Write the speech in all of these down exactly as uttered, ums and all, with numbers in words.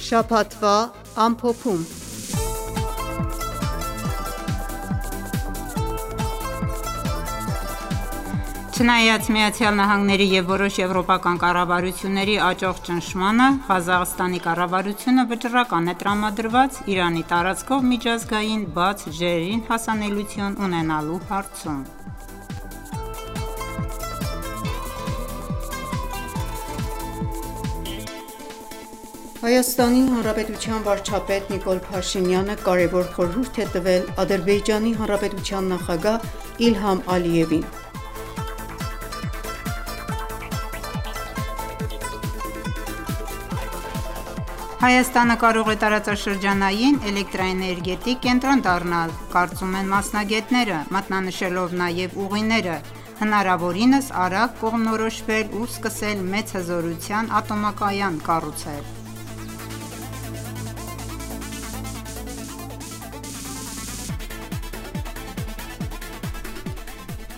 Շաբաթվա ամփոփում։ Չնայած ԱՄՆ-ի և որոշ եվրոպական կառավարությունների աճող ճնշմանը, Ղազախստանի կառավարությունը վճռական է տրամադրված Իրանի տարածքով միջազգային բաց ջրերին հասանելիություն ունենալու հարցում։ Հայաստանի Հանրապետության վարչապետ Նիկոլ Փաշինյանը կարևոր խորհուրդ է տվել Ադրբեջանի Հանրապետության նախագահ Իլհամ Ալիևին։ Հայաստանը կարող է տարածաշրջանային էլեկտրաէներգետիկ կենտրոն դառնալ, կարծում են մասնագետները, մատնանշելով նաև ուղիները հնարավորինս արագ կողմնորոշվել ու սկսել մեծ հզորության ատոմակայան կառուցել։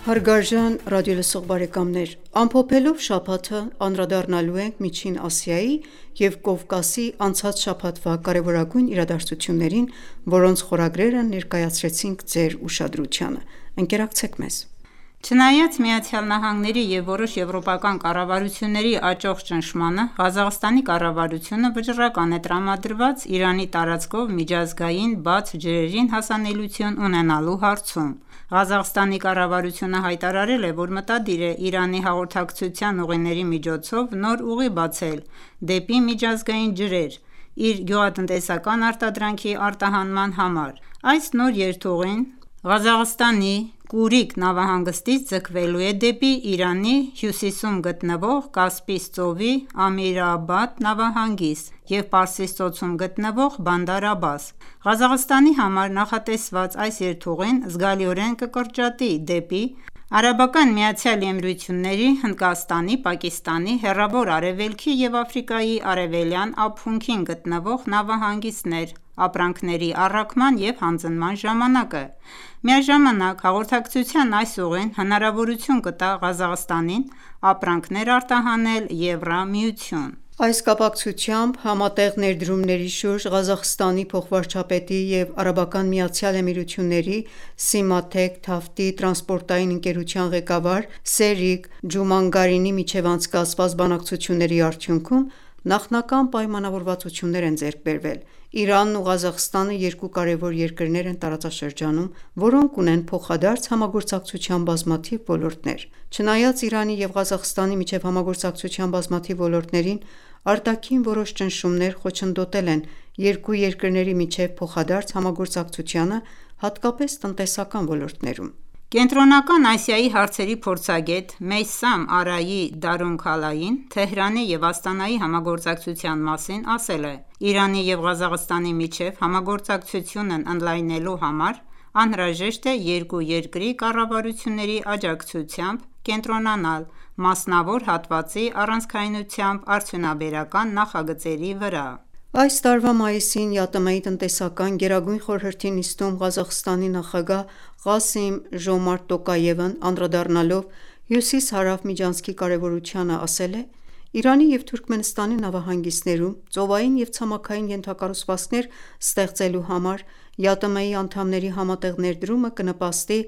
Հարգարժան ռադիոլսող բարեկամներ, ամփոփելով շաբաթը անդրադառնալու ենք Միջին Ասիայի և Կովկասի անցած շաբաթվա կարևորագույն իրադարձություններին, որոնց խորագրերը ներկայացրեցինք ձեր ուշադրությանը։ Ընկերակցեք մեզ։ Չնայած ԱՄՆ-ի և որոշ եվրոպական կառավարությունների աճող ճնշմանը, Ղազախստանի կառավարությունը վճռական է տրամադրված Իրանի տարածքով միջազգային բաց ջրերին հասանելիություն ունենալու հարցում։ Ղազախստանի կառավարությունը հայտարարել է, որ մտադիր է Իրանի հաղորդակցության ուղիների միջոցով նոր ուղի բացել դեպի միջազգային ջրեր՝ իր գյուղատնտեսական արտադրանքի արտահանման համար։ Այս նոր երթուղին Ղազախստանի Կուրիկ նավահանգստից ձգվելու է դեպի Իրանի հյուսիսում գտնվող Կասպից ծովի Ամիր-Աբադ նավահանգիստ և Պարսից ծոցում գտնվող Բանդար Աբբաս։ Ղազախստանի համար նախատեսված այս երթուղին զգալիորեն կկրճատի դեպի ԱՄԷ-ի, Հնդկաստանի, Պակիստանի, Հեռավոր Արևելքի և Աֆրիկայի արևելյան ափունքին գտնվող նավահանգիստներ ապրանքների առաքման և հանձնման ժամանակը։ Միաժամանակ հաղորդակցության այս ուղին հնարավորություն կտա Ղազախստանին ապրանքներ արտահանել Եվրամիություն։ Այս կապակցությամբ համատեղ ներդրումների շուրջ Ղազախստանի փոխվարչապետի և ԱՄԷ-ի Սիմաթեք Թավթի տրանսպորտային ընկերության ղեկավար Սերիկ Ջումանգարինի միջև անցկացված բանակցությունների արդյունքում նախնական պայմանավորվածություններ են ձեռք բերվել։ Իրանն ու Ղազախստանը երկու կարևոր երկրներ են տարածաշրջանում, որոնք ունեն փոխադարձ համագործակցության բազմաթիվ ոլորտներ։ Չնայած Իրանի և Ղազախստանի միջև համագործակցության բազմաթիվ ոլորտներին, արտաքին որոշ ճնշումներ խոչընդոտել են երկու երկրների միջև փոխադարձ համագործակցությանը, հատկապես տնտեսական ոլորտներում։ Կենտրոնական Ասիայի հարցերի փորձագետ Մեյսամ Արայի Դարոնքալային Թեհրանի և Աստանայի համագործակցության մասին ասել է. «Իրանի և Ղազախստանի միջև համագործակցությունն ընդլայնելու համար անհրաժեշտ է երկու երկրի կառավարությունների աջակցությամբ կենտրոնանալ մասնավոր հատվածի առանցքայնությամբ արդյունաբերական նախագծերի վրա»։ Այս տարվա մայիսին ԵԱՏՄ-ի տնտեսական գերագույն խորհրդի նիստում Ղազախստանի նախագահ Ղասիմ Ժոմարտ Տոկաևն անդրադառնալով հյուսիս-հարավ միջանցքի կարևորությանը ասել է. «Իրանի և Թուրքմենստանի նավահանգիստներում ծովային և ցամաքային ենթակառուցվածքներ ստեղծելու համար ԵԱՏՄ-ի անդամների համատեղ ներդրումը կնպաստի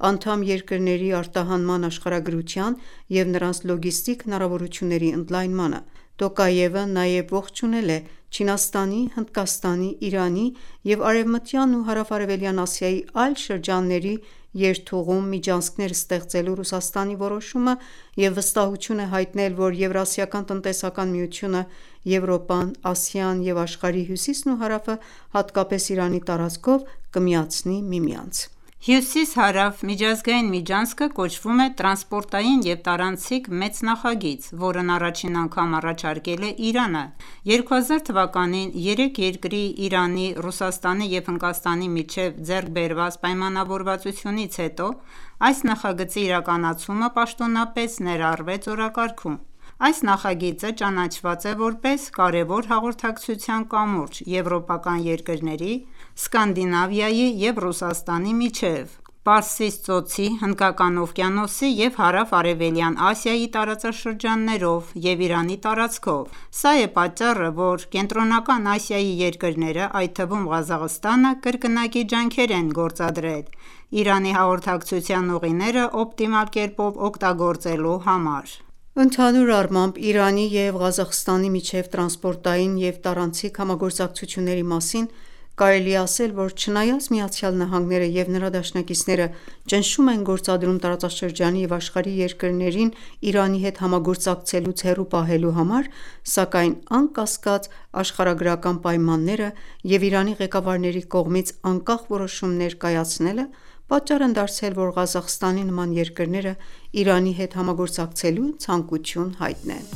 անդամ երկրների արտահանման աշխարհագրության և նրանց լոգիստիկ հնարավորությունների ընդլայնմանը»։ Տոկաևը նաև ողջունել է Չինաստանի, Հնդկաստանի, Իրանի և Արևմտյան ու հարավ-արևելյան Ասիայի այլ շրջանների երթուղում միջանցքներ ստեղծելու Ռուսաստանի որոշումը և վստահություն է հայտնել, որ Եվրասիական տնտեսական միությունը, Եվրոպան, Ասիան և աշխարհի հյուսիսն ու հարավը, հատկապես Իրանի տարածքով կմիացնի միմյանց։ Հյուսիս-հարավ միջազգային միջանցքը կոչվում է տրանսպորտային և տարանցիկ մեծ նախագիծ, որն առաջին անգամ առաջարկել է Իրանը։ երկու հազար թվականին երեք երկրի՝ Իրանի, Ռուսաստանի և Հնդկաստանի միջև ձեռք բերված պայմանավորվածությունից հետո այս նախագծի իրականացումը պաշտոնապես ներառվեց օրակարգում։ Այս նախագիծը ճանաչված է որպես կարևոր հաղորդակցության կամուրջ եվրոպական երկրների, Սկանդինավիայի և Ռուսաստանի միջև, Պարսից ծոցի, Հնդկական օվկիանոսի և հարավ-արևելյան Ասիայի տարածաշրջաններով և Իրանի տարածքով: Սա է պատճառը, որ Կենտրոնական Ասիայի երկրները, այդ թվում Ղազախստանը, կրկնակի ջանքեր են գործադրել Իրանի հաղորդակցության ուղիները օպտիմալ կերպով օգտագործելու համար: Ընդհանուր առմամբ, Իրանի և Ղազախստանի միջև տրանսպորտային և տարանցիկ համագործակցությունների մասին կարելի է ասել, որ չնայած ԱՄՆ-ը և նրա դաշնակիցները ճնշում են գործադրում տարածաշրջանի և աշխարհի երկրներին Իրանի հետ համագործակցելուց հեռու պահելու համար, սակայն անկասկած, աշխարհագրական պայմանները և Իրանի ղեկավարների կողմից անկախ որոշումներ կայացնելը պատճառ են դարձել, որ Ղազախստանի նման երկրները Իրանի հետ համագործակցելու ցանկություն հայտնեն: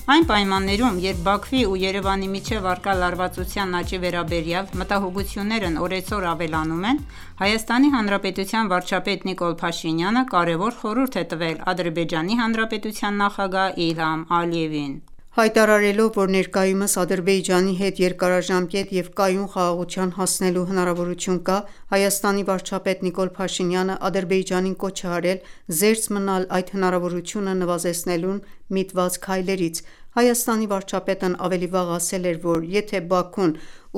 Այն պայմաններում, երբ Բաքվի ու Երևանի միջև առկա լարվածության աճի վերաբերյալ մտահոգություններն օրեցօր ավելանում են, ՀՀ վարչապետ Նիկոլ Փաշինյանը կարևոր խորհուրդ է տվել Ադրբեջանի Հանրապետության նախագահ Իլհամ Ալիևին: Հայտարարելով, որ ներկայումս Ադրբեջանի հետ երկարաժամկետ և կայուն խաղաղության հասնելու հնարավորություն կա, Հայաստանի վարչապետ Նիկոլ Փաշինյանը Ադրբեջանին կոչ է արել զերծ մնալ այդ հնարավորությունը նվազեցնելուն միտված քայլերից: Հայաստանի վարչապետն ավելի վաղ ասել էր, որ եթե Բաքուն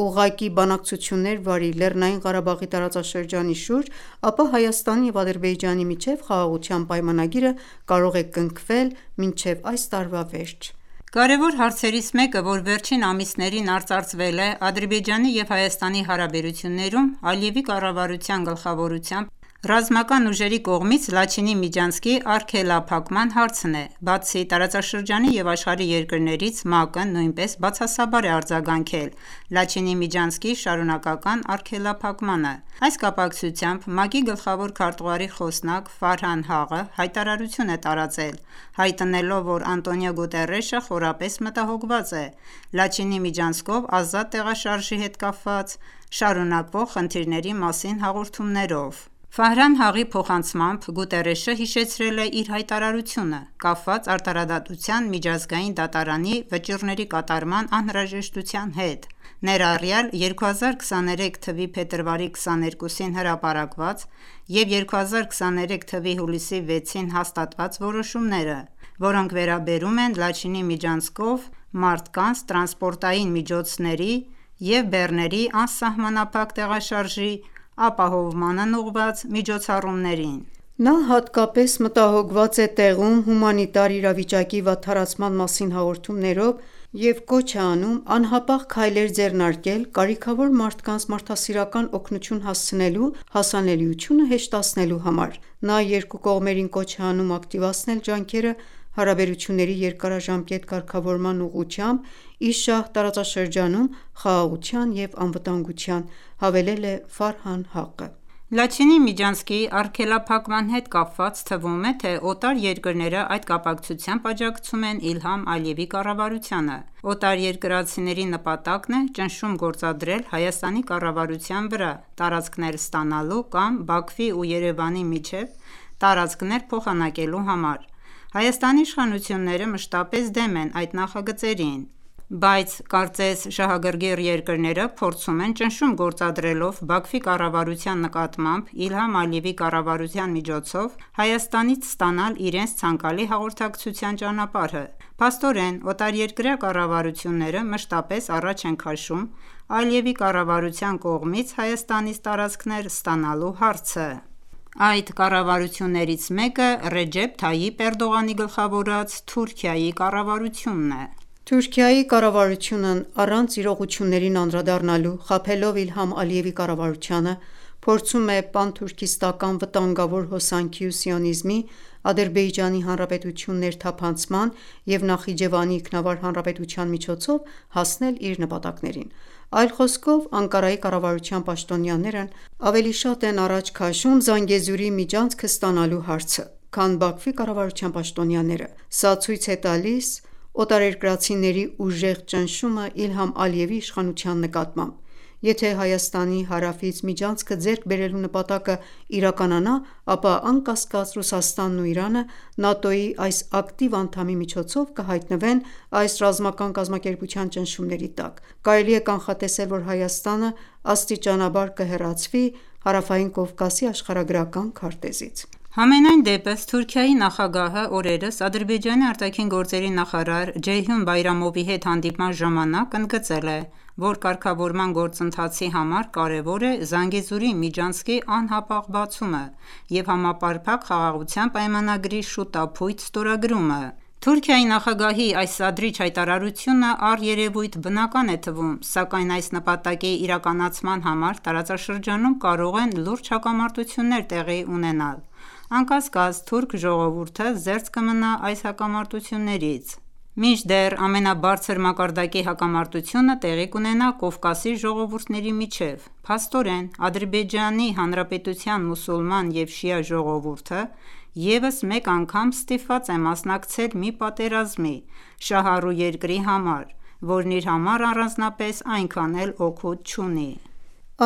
ուղղակի բանակցություններ վարի ԼՂ տարածաշրջանի շուրջ, ապա Հայաստանի և Ադրբեջանի միջև խաղաղության պայմանագիրը կարող է կնքվել մինչև այս տարվա վերջ: Կարևոր հարցերից մեկը, որ վերջին ամիսներին արծարծվել է Ադրբեջանի և Հայաստանի հարաբերություններում, Ալիևի կառավարության գլխավորությամբ ռազմական ուժերի կողմից Լաչինի Միջանցքի արգելափակման հարցն է: Բացի տարածաշրջանի և աշխարհի երկրներից, ՄԱԿ-ը նույնպես բացասաբար է արձագանքել Լաչինի Միջանցքի շարունակական արգելափակմանը: Այս կապակցությամբ ՄԱԿ-ի գլխավոր քարտուղարի խոսնակ Ֆարհան Հաղը հայտարարություն է տարածել, հայտնելով, որ Անտոնիո Գուտերեշը խորապես մտահոգված է Լաչինի միջանցքով ազատ տեղաշարժի հետ կապված շարունակվող խնդիրների մասին հաղորդումներով: Ֆարհան Հաղի փոխանցմամբ, Գուտերեշը հիշեցրել է իր հայտարարությունը՝ կապված արդարադատության միջազգային դատարանի վճիռների կատարման անհրաժեշտության հետ, ներառյալ երկու հազար քսաներեք թվականի փետրվարի քսաներկուսին հրապարակված և երկու հազար քսաներեք թվականի հուլիսի վեցին հաստատված որոշումները, որոնք վերաբերում են Լաչինի միջանցքով մարդկանց, տրանսպորտային միջոցների և բեռների անսահմանափակ տեղաշարժի ապահովմանն ուղղված միջոցառումներին: Նա հատկապես մտահոգված է տեղում հումանիտար իրավիճակի վատթարացման մասին հաղորդումներով և կոչ է անում անհապաղ քայլեր ձեռնարկել կարիքավոր մարդկանց մարդասիրական օգնություն հասցնելու հասանելիությունը հեշտացնելու համար: Նա երկու կողմերին կոչ է անում ակտիվացնել ջանքերը հարաբերությունների երկարաժամկետ կարգավորման ուղղությամբ ի շահ տարածաշրջանում խաղաղության և անվտանգության, հավելել է Ֆարհան Հաղը: Լաչինի միջանցքի արգելափակման հետ կապված թվում է, թե օտար երկրները այդ կապակցությամբ աջակցում են Իլհամ Ալիևի կառավարությանը: Օտարերկրացիների նպատակն է ճնշում գործադրել Հայաստանի կառավարության վրա տարածքներ ստանալու կամ Բաքվի ու Երևանի միջև տարածքներ փոխանակելու համար: Հայաստանի իշխանությունները մշտապես դեմ են այդ նախագծերին, բայց կարծես շահագրգիռ երկրները փորձում են ճնշում գործադրելով Բաքվի կառավարության նկատմամբ Իլհամ Ալիևի կառավարության միջոցով Հայաստանից ստանալ իրենց ցանկալի հաղորդակցության ճանապարհը: Փաստորեն, օտարերկրյա կառավարությունները մշտապես առաջ են քաշում Ալիևի կառավարության կողմից Հայաստանից տարածքներ ստանալու հարցը: Այդ կառավարություններից մեկը Ռեջեփ Թայիպ Էրդողանի գլխավորած Թուրքիայի կառավարությունն է: Թուրքիայի կառավարությունն առանց իրողություններին անդրադառնալու, խաբելով Իլհամ Ալիևի կառավարությանը, փորձում է պանթուրքիստական վտանգավոր հոսանքի ու սիոնիզմի, Ադրբեջանի Հանրապետություն ներթափանցման և Նախիջևանի Ինքնավար Հանրապետության միջոցով հասնել իր նպատակներին: Այլ խոսքով, Անկարայի կառավարության պաշտոնյաներն ավելի շատ են առաջ քաշում Զանգեզուրի միջանցքը ստանալու հարցը, քան Բաքվի կառավարության պաշտոնյաները: Սա ցույց է տալիս օտարերկրացիների ուժեղ ճնշումը Իլհամ Ալիևի իշխանության նկատմամբ: Եթե Հայաստանի հարավից միջանցքը ձեռք բերելու նպատակը իրականանա, ապա անկասկած Ռուսաստանն ու Իրանը ՆԱՏՕ-ի այս ակտիվ անդամի միջոցով կհայտնվեն այս ռազմական կազմակերպության ճնշումների տակ: Կարելի է կանխատեսել, որ Հայաստանը աստիճանաբար կհեռացվի Հարավային Կովկասի աշխարհագրական քարտեզից: Համենայն դեպս, Թուրքիայի նախագահը օրերս Ադրբեջանի արտաքին գործերի նախարար Ջեյհուն Բայրամովի հետ հանդիպման ժամանակ ընդգծել է, որ կարգավորման գործընթացի համար կարևոր է Զանգեզուրի միջանցքի անհապաղ բացումը և համապարփակ խաղաղության պայմանագրի շուտափույթ ստորագրումը: Թուրքիայի նախագահի այս սադրիչ հայտարարությունը առերևույթ բնական է թվում, սակայն այս նպատակի իրականացման համար տարածաշրջանում կարող են լուրջ հակամարտություններ տեղի ունենալ: Անկասկած, թուրք ժողովուրդը զերծ կմնա այս հակամարտություններից: Մինչդեռ ամենաբարձր մակարդակի հակամարտությունը տեղի կունենա Կովկասի ժողովուրդների միջև: Փաստորեն, Ադրբեջանի Հանրապետության մուսուլման և շիա ժողովուրդը ևս մեկ անգամ ստիպված է մասնակցել մի պատերազմի շահառու երկրի համար, որն իր համար առանձնապես այնքան էլ օգուտ չունի: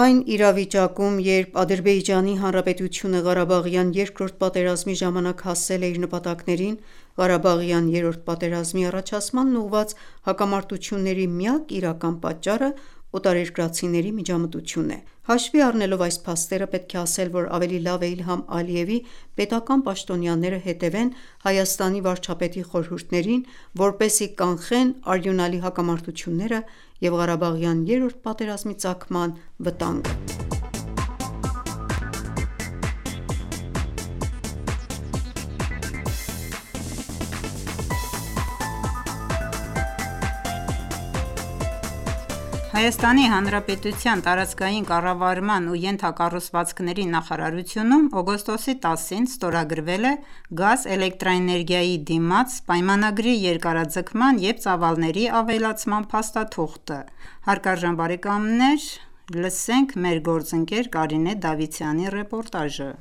Այն իրավիճակում, երբ Ադրբեջանի Հանրապետությունը Ղարաբաղյան երկրորդ պատերազմի ժամանակ հասել է իր նպատակներին, Ղարաբաղյան երրորդ պատերազմի առաջացմանն ուղղված հակամարտությունների միակ իրական պատճառը օտարերկրացիների միջամտությունն է: Հաշվի առնելով այս փաստերը, պետք է ասել, որ ավելի լավ է Իլհամ Ալիևի պետական պաշտոնյաները հետևեն Հայաստանի վարչապետի խորհուրդներին, որպեսզի կանխեն արյունալի հակամարտությունները և Ղարաբաղյան երրորդ պատերազմի ծագման վտանգը: Հայաստանի Հանրապետության տարածքային կառավարման ու ենթակառուցվածքների նախարարությունում օգոստոսի տասին ստորագրվել է գազ-էլեկտրաէներգիայի դիմաց պայմանագրի երկարաձգման և ծավալների ավելացման փաստաթուղթը: Հարգարժան բարեկամներ լսենք մեր գործընկեր Կարինե Դավթյանի ռեպորտաժը: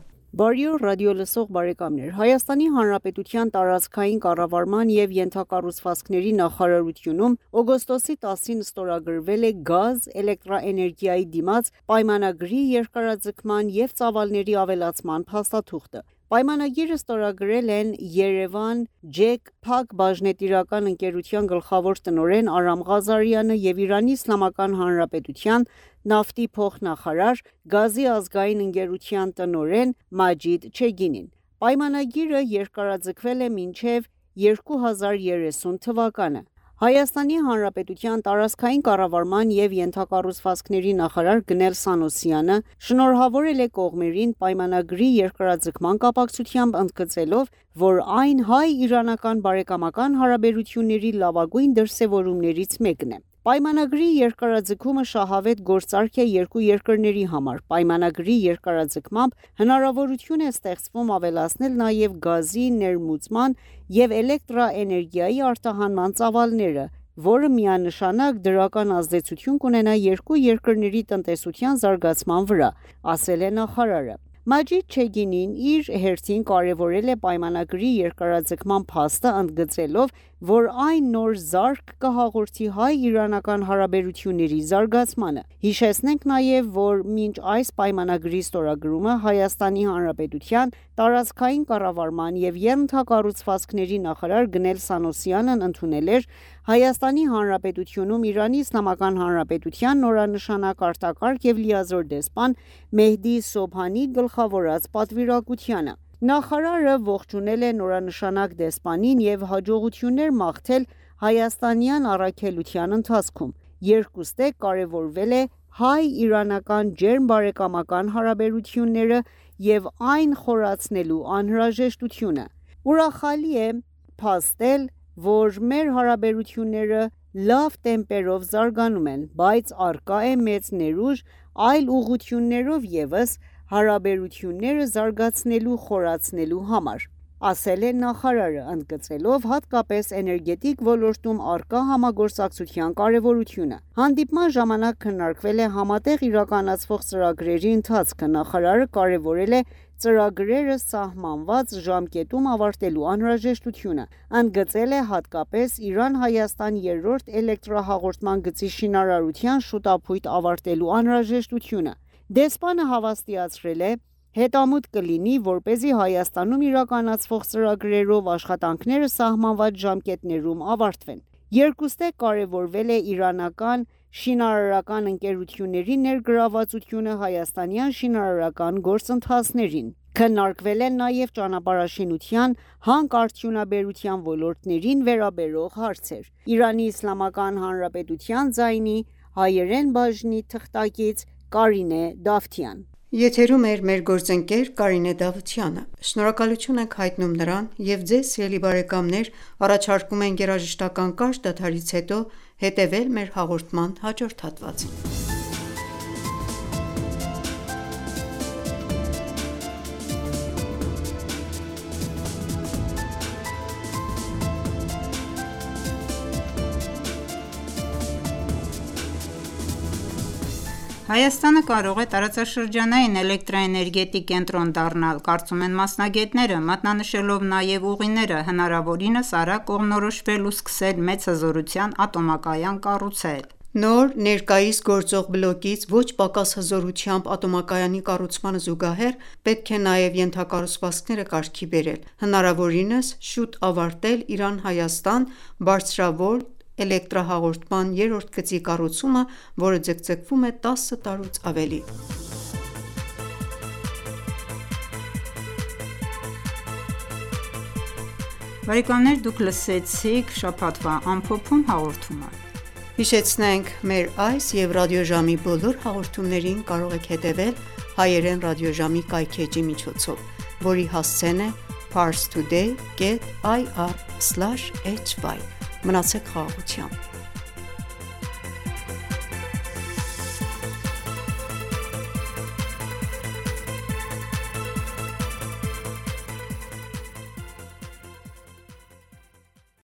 Բարի օր ռադիոլսող բարեկամներ: Հայաստանի Հանրապետության տարածքային կառավարման և ենթակառուցվածքների նախարարությունում օգոստոսի տասին ստորագրվել է գազ-էլեկտրաէներգիայի դիմաց պայմանագրի երկարաձգման և ծավալների ավելացման փաստաթուղթը: Պայմանագիրը ստորագրել են Երևան ջեք Փակ բաժնետիրական ընկերության գլխավոր տնօրեն Արամ Ղազարյանը և Իրանի Իսլամական Հանրապետության նավթի փոխնախարար, գազի ազգային ընկերության տնօրեն Մաջիդ Չեգինին: Պայմանագիրը երկարաձգվել է մինչև երկու հազար երեսուն թվականը: Հայաստանի Հանրապետության տարածքային կառավարման և ենթակառուցվածքների նախարար Գնել Սանոսյանը շնորհավորել է կողմերին պայմանագրի երկարաձգման կապակցությամբ, ընդգծելով, որ այն հայ-իրանական բարեկամական հարաբերությունների լավագույն դրսևորումներից մեկն է: Պայմանագրի երկարաձգումը շահավետ գործարք է երկու երկրների համար: Պայմանագրի երկարաձգմամբ հնարավորություն է ստեղծվում ավելացնել նաև գազի ներմուծման և էլեկտրաէներգիայի արտահանման ծավալները, որը միանշանակ դրական ազդեցություն կունենա երկու երկրների տնտեսության զարգացման վրա, ասել է նախարարը: Մաջիդ Չեգինին իր հերթին կարևորել է պայմանագրի երկարաձգման փաստը, ընդգծելով, որ այն նոր զարկ կհաղորդի հայ-իրանական հարաբերությունների զարգացմանը: Հիշեցնենք նաև, որ մինչ այս պայմանագրի ստորագրումը Հայաստանի Հանրապետության տարածքային կառավարման և ենթակառուցվածքների նախարար Գնել Սանոսյանն ընդունել էր Հայաստանի Հանրապետությունում Իրանի Իսլամական Հանրապետության նորանշանակ արտակարգ և լիազոր դեսպան Մեհդի Սոբհանի գլխավորած պատվիրակությանը: Նախարարը ողջունել է նորանշանակ դեսպանին և հաջողություններ մաղթել հայաստանյան առաքելության ընթացքում: Երկուստեք կարևորվել է հայ-իրանական ջերմ բարեկամական հարաբերությունները և այն խորացնելու անհրաժեշտությունը: Ուրախալի է փաստել, որ մեր հարաբերությունները լավ տեմպերով զարգանում են, բայց առկա է մեծ ներուժ այլ ուղղություններով ևս հարաբերությունները զարգացնելու խորացնելու համար, ասել է նախարարը, ընդգծելով հատկապես էներգետիկ ոլորտում առկա համագործակցության կարևորությունը։ Հանդիպման ժամանակ քննարկվել է համատեղ իրականացվող ծրագրերի ընթացքը։ Նախարարը կարևորել է ծրագրերը սահմանված ժամկետում ավարտելու անհրաժեշտությունը, ընդգծել է հատկապես Իրան-Հայաստան երրորդ էլեկտրահաղորդման գծի շինարարության շուտապույտ ավարտելու անհրաժեշտությունը։ Դեսպանը հավաստիացրել է. «Հետամուտ կլինի, որպեսզի Հայաստանում իրականացվող ծրագրերով աշխատանքները սահմանված ժամկետներում ավարտվեն»։ Երկուստեք կարևորվել է իրանական շինարարական ընկերությունների ներգրավվածությունը հայաստանյան շինարարական գործընթացներին։ Քննարկվել են նաև ճանապարհաշինության, հանքարդյունաբերության ոլորտներին վերաբերող հարցեր։ Իրանի Իսլամական Հանրապետության ձայնի հայերեն բաժնի թղթակից Կարինե Դավթյան։ Եթերում է մեր գործընկեր Կարինե Դավթյանը։ Շնորհակալություն ենք հայտնում նրան և ձեզ սիրելի բարեկամներ առաջարկում ենք երաժշտական կարճ դադարից հետո հետևել մեր հաղորդման հաջորդ հատվածին։ Հայաստանը կարող է տարածաշրջանային էլեկտրաէներգետիկ կենտրոն դառնալ, կարծում են մասնագետները, մատնանշելով նաև ուղիները հնարավորինս արագ կողմնորոշվել ու սկսել մեծ հզորության ատոմակայան կառուցել։ Նոր, ներկայիս գործող բլոկից ոչ պակաս հզորությամբ ատոմակայանի կառուցմանը զուգահեռ պետք է նաև ենթակառուցվածքները կարգի բերել, հնարավորինս շուտ ավարտել Իրան-Հայաստան բարձրավոլտ էլեկտրահաղորդման երրորդ գծի կառուցումը, որը ձգձգվում է տասը տարուց ավելի։ Բարեկամներ, դուք լսեցիք շաբաթվա ամփոփում հաղորդումը։ Հիշեցնենք, մեր այս և ռադիոժամի բոլոր հաղորդումներին կարող եք հետևել հայերեն ռադիոժամի կայքէջի միջոցով, որի հասցեն է parstoday dot ir slash hy։ Մնացեք խաղաղությամբ։